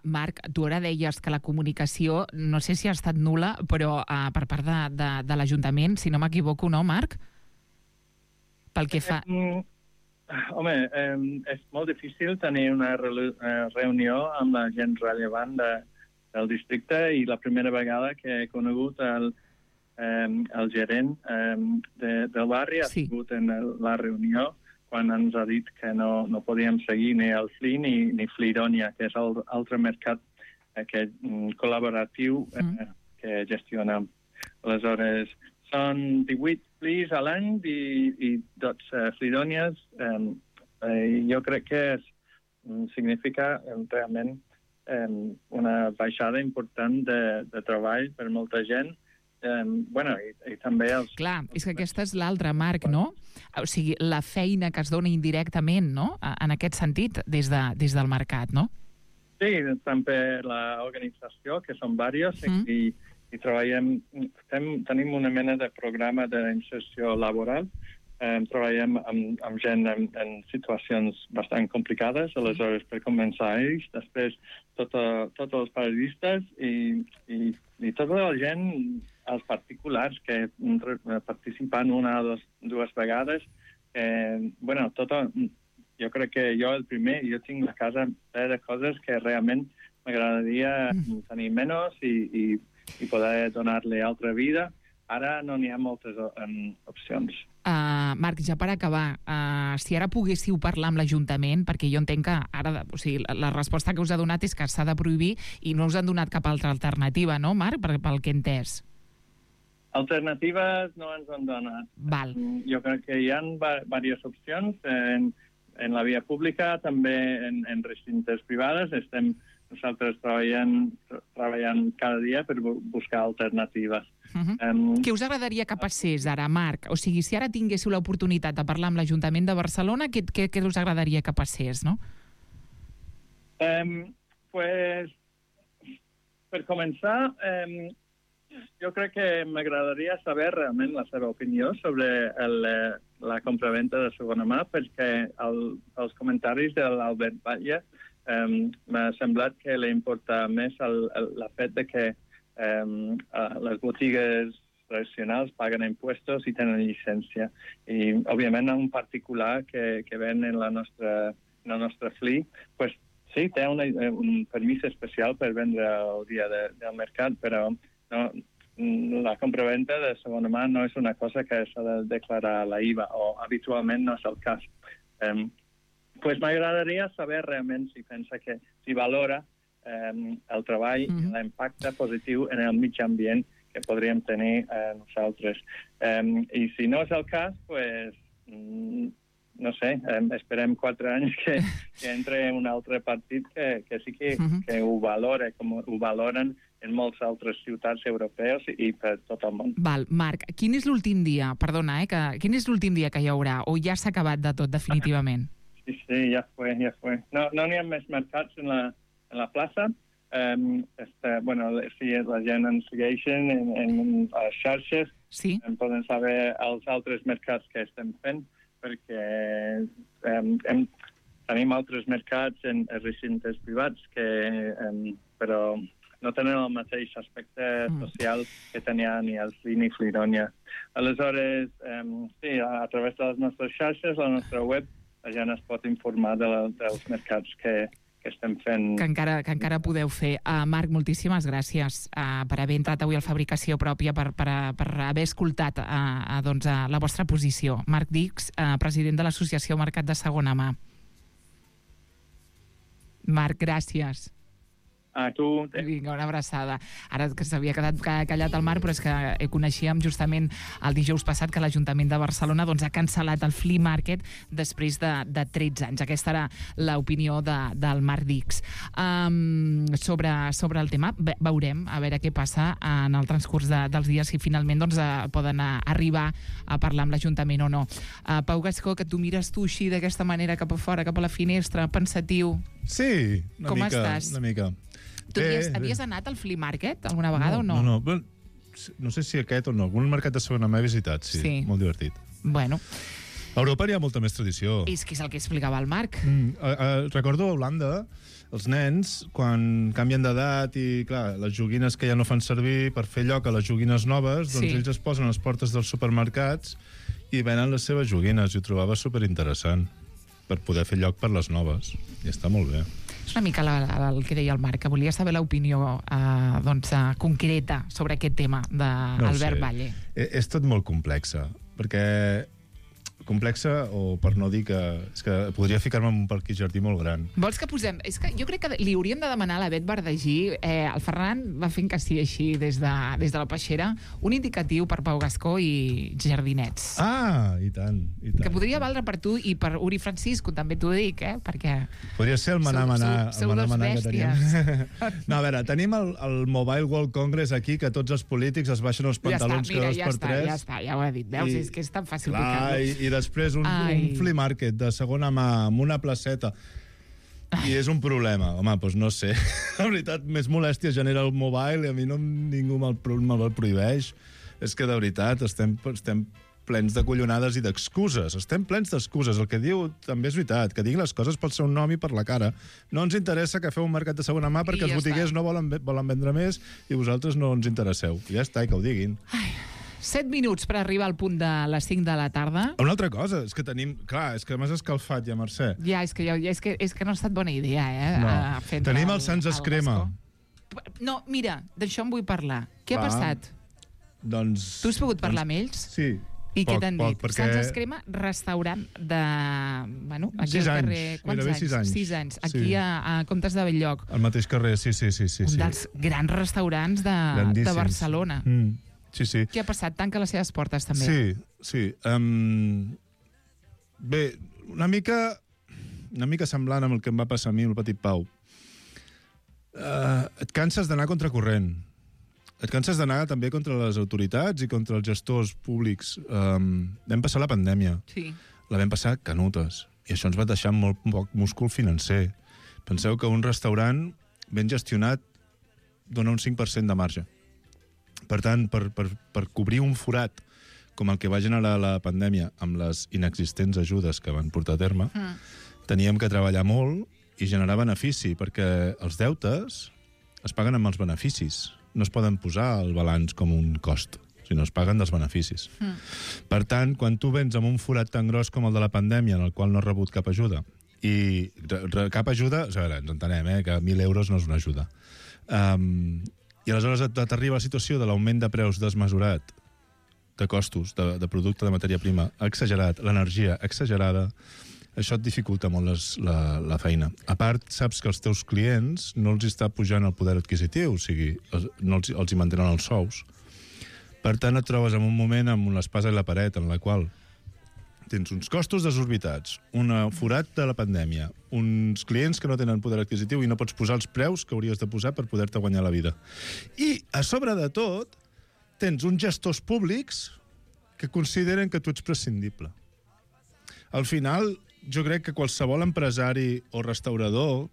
Marc, tu ara deies que la comunicació, no sé si ha estat nul·la, però per part de l'Ajuntament, si no m'equivoco, no, Marc? Pel que fa... Home, és molt difícil tenir una reunió amb la gent rellevant del districte i la primera vegada que he conegut el gerent del barri ha sigut en la reunió quan ens ha dit que no podíem seguir ni el Flea ni Flearonia, que és l'altre mercat col·laboratiu que gestionem. Aleshores, són 18 Fleas a l'any i 12 Flearonies. Jo crec que significa realment una baixada important de treball per molta gent. I també els... Clar, és que aquesta és l'altra, Marc, no? O sigui, la feina que es dona indirectament, no?, en aquest sentit, des del mercat, no? Sí, també l'organització, que són diversos, i treballem, tenim una mena de programa d'inserció laboral, treballem amb gent en situacions bastant complicades, aleshores per començar ells, després tots els periodistes i tota la gent, els particulars que participen una o dues vegades. Jo crec que jo el primer, jo tinc la casa plena de coses que realment m'agradaria tenir menys i poder donar-li altra vida. Ara no n'hi ha moltes opcions. Marc, ja per acabar, si ara poguéssiu parlar amb l'Ajuntament, perquè jo entenc que ara, o sigui, la resposta que us ha donat és que s'ha de prohibir i no us han donat cap altra alternativa, no, Marc, pel que he entès? Alternatives no ens han donat. Val. Jo crec que hi ha diverses opcions en la via pública, també en recintes privades. Estem nosaltres treballant cada dia per buscar alternatives. Què us agradaria que passés ara, Marc? O sigui, si ara tinguéssiu l'oportunitat de parlar amb l'Ajuntament de Barcelona, què us agradaria que passés, no? Per començar, jo crec que m'agradaria saber realment la seva opinió sobre la compraventa de segona mà, perquè els comentaris de l'Albert Batlle m'ha semblat que li importa més el fet de que les botigues tradicionals paguen impuestos i tenen llicència. I, òbviament, un particular que ven en el nostre Flea, sí, té un permís especial per vendre el dia del mercat, però la compraventa de segona mà no és una cosa que s'ha de declarar a la IVA, o habitualment no és el cas. M'agradaria saber realment si valora el treball i l'impacte positiu en el mig ambient que podríem tenir nosaltres. I si no és el cas, no sé, esperem 4 anys que entre un altre partit que sí que ho valora, com ho valoren en moltes altres ciutats europeus i per tot el món. Val, Marc, quin és l'últim dia, perdona, quin és l'últim dia que hi haurà, o ja s'ha acabat de tot definitivament? Sí, ja fue. No n'hi ha més mercats en la plaça. Si la gent ens segueixen en les xarxes, poden saber els altres mercats que estem fent, perquè tenim altres mercats en recintes privats però no tenen el mateix aspecte social que tenia ni el Flea ni Flearonia. Aleshores, sí, a través de les nostres xarxes, la nostra web, la gent es pot informar dels mercats que estem fent. Que encara podeu fer. Marc, moltíssimes gràcies per haver entrat avui al Fabricació Pròpia, per haver escoltat la vostra posició. Marc Dix, president de l'Associació Mercat de Segona Mà. Marc, gràcies. A tu. Vinga, una abraçada. Ara que s'havia quedat callat el Marc, però és que coneixíem justament el dijous passat que l'Ajuntament de Barcelona ha cancel·lat el Flea Market després de 13 anys. Aquesta era l'opinió del Marc Dix. Sobre el tema, veurem a veure què passa en el transcurs dels dies, si finalment poden arribar a parlar amb l'Ajuntament o no. Pau Gascó, que tu mires així d'aquesta manera cap a fora, cap a la finestra, pensatiu. Sí, Com estàs? una mica. Tu havies anat al Flea Market alguna vegada o no? No sé si aquest o no. Algun mercat de segona mà he visitat, sí. Molt divertit. Bueno. A Europa hi ha molta més tradició. És que és el que explicava el Marc. Recordo a Holanda, els nens, quan canvien d'edat i, clar, les joguines que ja no fan servir per fer lloc a les joguines noves, doncs ells es posen a les portes dels supermercats i venen les seves joguines. I ho trobava superinteressant per poder fer lloc per les noves. I està molt bé. És una mica el que deia el Marc, que volia saber l'opinió concreta sobre aquest tema d'Albert Valle. És tot molt complexa, perquè complexa, o per no dir que... És que podria ficar-me en un parc i jardí molt gran. Vols que posem... És que jo crec que li hauríem de demanar a la Bet Verdagí, el Ferran va fent que sí així des de la peixera, un indicatiu per Pau Gascó i jardinets. I tant. Que podria valdre per tu i per Uri Francisco, també t'ho dic, perquè... Podria ser el manar sou dos bèsties. No, a veure, tenim el Mobile World Congress aquí, que tots els polítics es baixen els pantalons cada 2x3. Ja està, ja ho he dit. Veus, és que és tan fàcil picar-lo. I després un flea market de segona mà amb una placeta. I és un problema. Home, doncs no sé. La veritat, més molèstia genera el mobile i a mi ningú me'l prohibeix. És que, de veritat, estem plens de collonades i d'excuses. Estem plens d'excuses. El que diu també és veritat, que diguin les coses pel seu nom i per la cara. No ens interessa que feu un mercat de segona mà perquè els botiguers no volen vendre més i vosaltres no ens interesseu. Ja està, i que ho diguin. 7 minuts per arribar al punt de les 5 de la tarda. Una altra cosa, és que tenim... Clar, és que m'has escalfat ja, Mercè. Ja, és que no ha estat bona idea, No. Tenim el Sants Escrema. No, mira, d'això em vull parlar. Què ha passat? Doncs... Tu has pogut parlar amb ells? Sí. I què t'han dit? Sants Escrema, restaurant de... Bueno, aquí al carrer... Gairebé 6 anys. 6 anys. Aquí a Comtes de Belllloc. Al mateix carrer, sí. Un dels grans restaurants de Barcelona. Sí. Què ha passat? Tanca les seves portes, també. Sí. Bé, una mica semblant amb el que em va passar a mi, el petit Pau. Et canses d'anar contracorrent. Et canses d'anar també contra les autoritats i contra els gestors públics. Vam passar la pandèmia. Sí. La vam passar canutes. I això ens va deixar molt poc múscul financer. Penseu que un restaurant ben gestionat dona un 5% de marge. Per tant, per cobrir un forat com el que va generar la pandèmia amb les inexistents ajudes que van portar a terme, teníem que treballar molt i generar benefici, perquè els deutes es paguen amb els beneficis. No es poden posar al balanç com un cost, sinó es paguen dels beneficis. Per tant, quan tu vens amb un forat tan gros com el de la pandèmia, en el qual no has rebut cap ajuda, i cap ajuda, a veure, ens entenem, que 1.000 euros no és una ajuda, i aleshores t'arriba la situació de l'augment de preus desmesurat, de costos, de producte, de matèria prima, exagerat, l'energia exagerada, això et dificulta molt la feina. A part, saps que els teus clients no els està pujant el poder adquisitiu, o sigui, no els hi mantenen els sous. Per tant, et trobes en un moment amb l'espasa i la paret, en la qual tens uns costos desorbitats, un forat de la pandèmia, uns clients que no tenen poder adquisitiu i no pots posar els preus que hauries de posar per poder-te guanyar la vida. I, a sobre de tot, tens uns gestors públics que consideren que tu ets prescindible. Al final, jo crec que qualsevol empresari o restaurador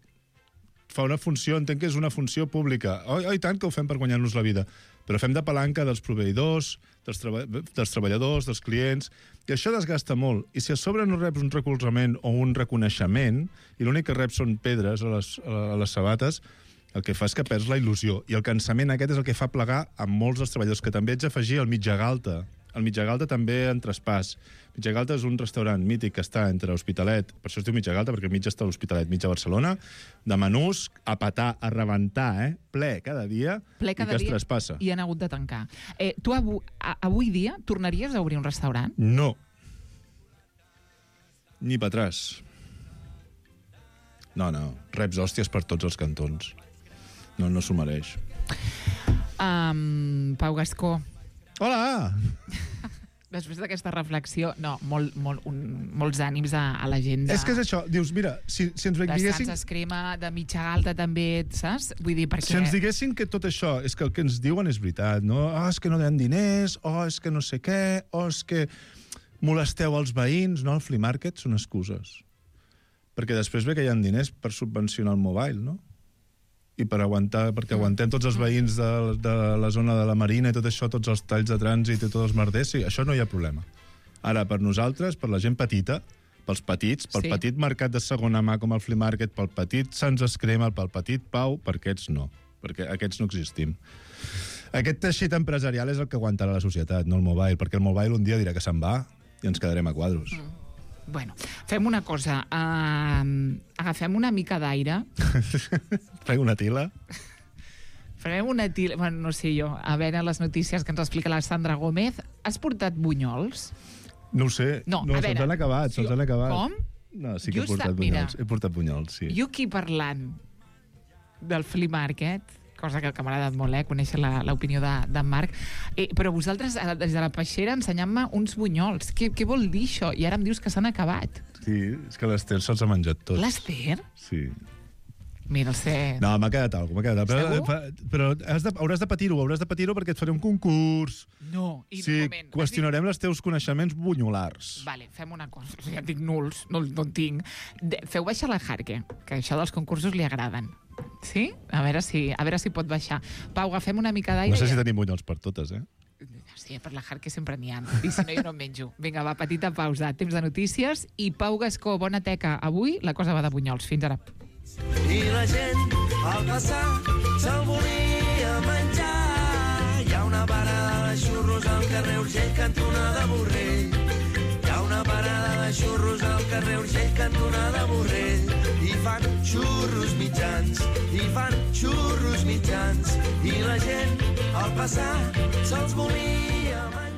fa una funció, entenc que és una funció pública. I tant que ho fem per guanyar-nos la vida, però fem de palanca dels proveïdors, dels treballadors, dels clients, i això desgasta molt. I si a sobre no reps un recolzament o un reconeixement, i l'únic que reps són pedres a les sabates, el que fa és que perds la il·lusió. I el cansament aquest és el que fa plegar a molts dels treballadors, que també ets afegir el mitja galta El Mitjagalta també en traspàs. Mitjagalta és un restaurant mític que està entre Hospitalet, per això es diu Mitjagalta, perquè mig està a l'Hospitalet, mig a Barcelona, de menús a petar, a rebentar, ple cada dia, ple cada i que es dia, traspassa. I han hagut de tancar. Tu avui dia tornaries a obrir un restaurant? No. Ni per atràs. No, reps hòsties per tots els cantons. No s'ho mereix. Pau Gascó. Hola! Després d'aquesta reflexió, molts ànims a la gent És que és això, dius, mira, si ens diguessin... De Sants Escrima, de Mitjagalta també, saps? Vull dir, perquè... Si ens diguessin que tot això, és que el que ens diuen és veritat, no? És que no donen diners, és que no sé què, és que molesteu els veïns, no? El flea market són excuses. Perquè després ve que hi ha diners per subvencionar el mobile, no? I perquè aguantem tots els veïns de la zona de la Marina i tot això, tots els talls de trànsit i tots els merders, sí, això no hi ha problema. Ara, per nosaltres, per la gent petita, pels petits, pel petit mercat de segona mà com el flea market, pel petit Sants Escrima, pel petit Pau, per aquests no, perquè aquests no existim. Aquest teixit empresarial és el que aguantarà la societat, no el mobile, perquè el mobile un dia dirà que se'n va i ens quedarem a quadros. Bueno, fem una cosa. Agafem una mica d'aire. Fem una tila? Farem una tila... Bueno, no sé jo. A veure les notícies que ens explica la Sandra Gómez. Has portat bunyols? No ho sé. No, se'ls han acabat, se'ls han acabat. Com? No, sí que he portat bunyols. He portat bunyols, sí. Jo aquí parlant del flea market, cosa que m'ha agradat molt, conèixer l'opinió d'en Marc. Però vosaltres, des de la peixera, ensenyant-me uns bunyols. Què vol dir això? I ara em dius que s'han acabat. Sí, és que l'Ester se'ls ha menjat tots. L'Ester? Sí. Mira, el sé... No, m'ha quedat alguna cosa, però hauràs de patir-ho perquè et faré un concurs. No, i sí, un moment. Qüestionarem els teus coneixements bunyolars. Vale, fem una cosa. Ja dic nuls, no en tinc. Feu baixar la Jarque, que això dels concursos li agraden. Sí? A veure si pot baixar. Pau, agafem una mica d'aire. No sé si tenim bunyols per totes, Sí, per la Jarque sempre n'hi ha. I si no, jo no en menjo. Vinga, va, petita pausa. Temps de notícies. I Pau Gascó, bona teca. Avui la cosa va de bunyols. Fins ara. I la gent, al passar, se'l volia menjar. Hi ha una parada de xurros al carrer Urgell, cantonada Borrell. Hi ha una parada de xurros al carrer Urgell, cantonada Borrell. I fan xurros mitjans, i la gent, al passar, se'ls volia